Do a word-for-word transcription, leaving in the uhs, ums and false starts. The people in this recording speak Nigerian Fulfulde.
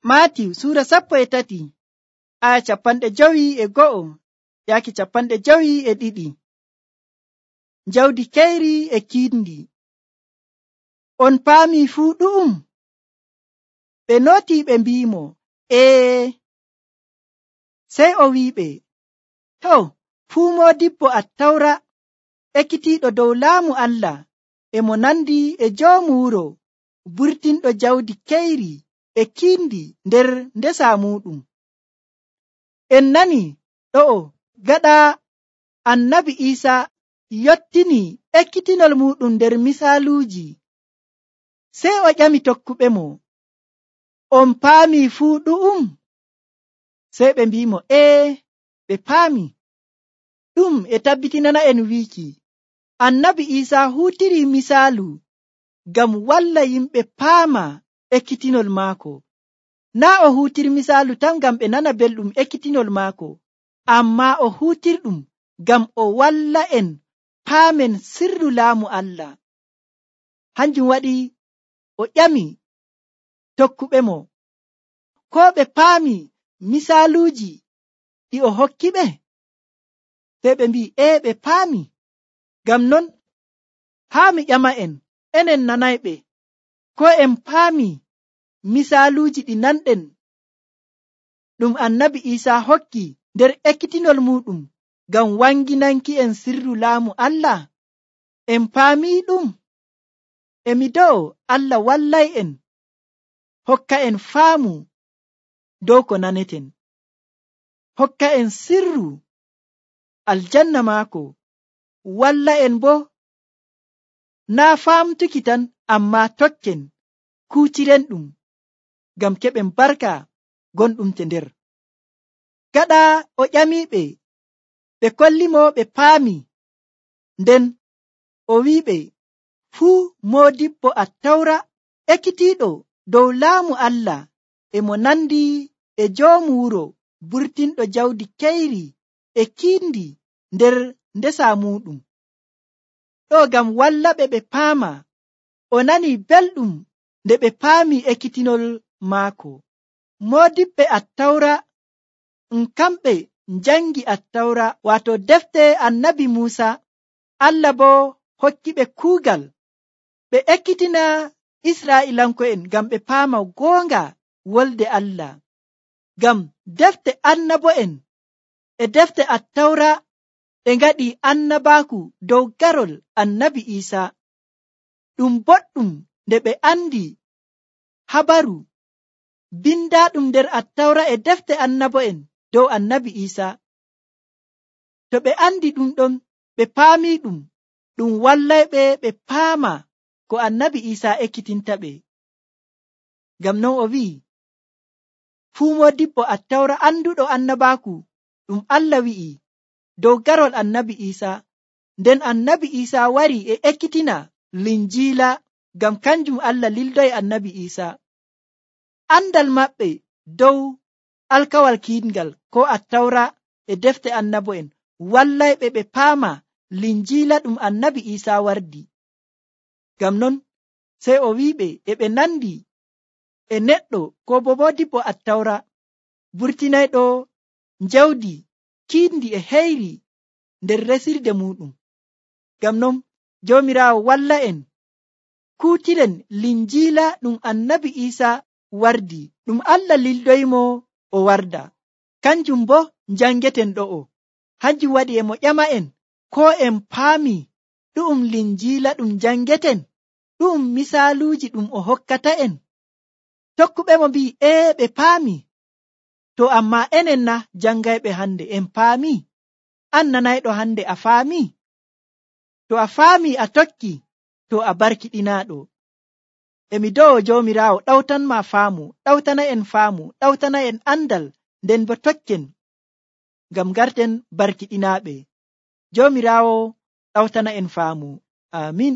Maatiw suura sappo e tati aya capanɗe jowi e go'o yaaki capanɗe jowi e ɗiɗi. Jawdi keyri e kiindi. On paami fuu ɗu'um? Ɓe noti ɓe mbiimo, ee. Sey o wi'iɓe, to, fuu moodibbo Attawra ekkitiiɗo dow laamu Allah e mo nandi e joomu wuro burtinɗo jawdi keyri e kiindi nder ndesa muuɗum. En nani ɗo'o gaɗa annabi Iisaa yottini ekkitinol muuɗum nder misaaluuji. Sey o ƴami tokkuɓe mo, on paami fuu ɗu'um? Sey ɓe mbi'imo, ee, ɓe paami. Ɗum e tabbitinana en wiiki annabi Iisaa huutiri misaalu ngam walla yimɓe paama ekkitinol maako. Naa o huutiri misaalu tan ngam ɓe nana belɗum ekkitinol maako, ammaa o huutirɗum ngam o walla en paamen sirru laamu Allah. Hanjum waɗi o ƴami tokkuɓe mo, ko ɓe paami misaaluuji ɗi o hokki ɓe? Sey ɓe mbi'i, ee, ɓe paami. Ngam non, haa mi ƴama en, enen nanayɓe, ko en paami misaaluuji ɗi nanɗen ɗum annabi Iisaa hokki nder ekkitinol muuɗum ngam wanginanki en sirru laamu Allah? En paami ɗum? E mi do'o Allah wallay en, hokka en faamu dow ko naneten, hokka en sirru aljanna maako, walla en bo naa faamtuki tan ammaa tokken kuutiren ɗum ngam keɓen barka gonɗum te nder. Gaɗa o ƴamiɓe, ɓe kolli mo ɓe paami, nden o wi'iɓe, fuu moodibbo Attawra ekkitiiɗo dow laamu Allah e mo nandi e joomu wuro burtinɗo jawdi keyri e kiindi nder ndesa muuɗum. Ɗo ngam wallaɓe ɓe paama, o nani belɗum nde ɓe paami ekkitinol maako. Moodibɓe Attawra um kamɓe njangi Attawra, waato defte annabi Muusa. Allah bo hokki ɓe kuugal ɓe ekkitina Israa'iilanko'en ngam ɓe paama goonga wolde Allah. Ngam defte annabo'en e defte Attawra ɗe ngaɗi annabaaku dow garol annabi Iisaa. Ɗum boɗɗum nde ɓe andi habaru bindaaɗum nder Attawra e defte annabo'en dow annabi Iisaa. To ɓe andi ɗum ɗon, ɓe paami ɗum, ɗum wallayɓe ɓe paama ko annabi Iisaa ekkitinta ɓe. Ngam non o wi'i, fuu moodibbo Attawra anduɗo annabaaku ɗum Allah wi'i dow garol annabi Iisaa, nden annabi Iisaa wari e ekkitina Linjiila ngam kanjum Allah lildoyi annabi Iisaa. Andal maɓɓe dow alkawal kiiɗngal ko Attawra e defte annabo'en wallayɓe ɓe paama Linjiila ɗum annabi Iisaa wardi. Ngam non sey o wi'iɓe e ɓe nandi e neɗɗo ko bo moodibbo Attawra burtinayɗo jawdi kiindi e heyri nder resirde muɗum. Ngam non Joomiraawo walla en kuutiren Linjiila ɗum annabi Iisaa wardi, ɗum Allah lildoyimo o warda. Kanjum bo njangeten ɗo'o. Hanjum waɗi e mo ƴama en, ko en paami ɗu'um Linjiila ɗum njangeten, ɗu'um misaaluuji ɗum o hokkata en? Tokkuɓe mo mbi'i, ee, ɓe paami. To ammaa enen na jangayɓe hande en paami? An nanayɗo hande a faami? To a faami a tokki, to a barkiɗinaaɗo. E mi do'o Joomiraawo ɗawtanma faamu, ɗawtana en faamu, ɗawtana en andal, nden bo tokken ngam garten barkiɗinaaɓe. Joomiraawo ɗawtana en faamu. Amin.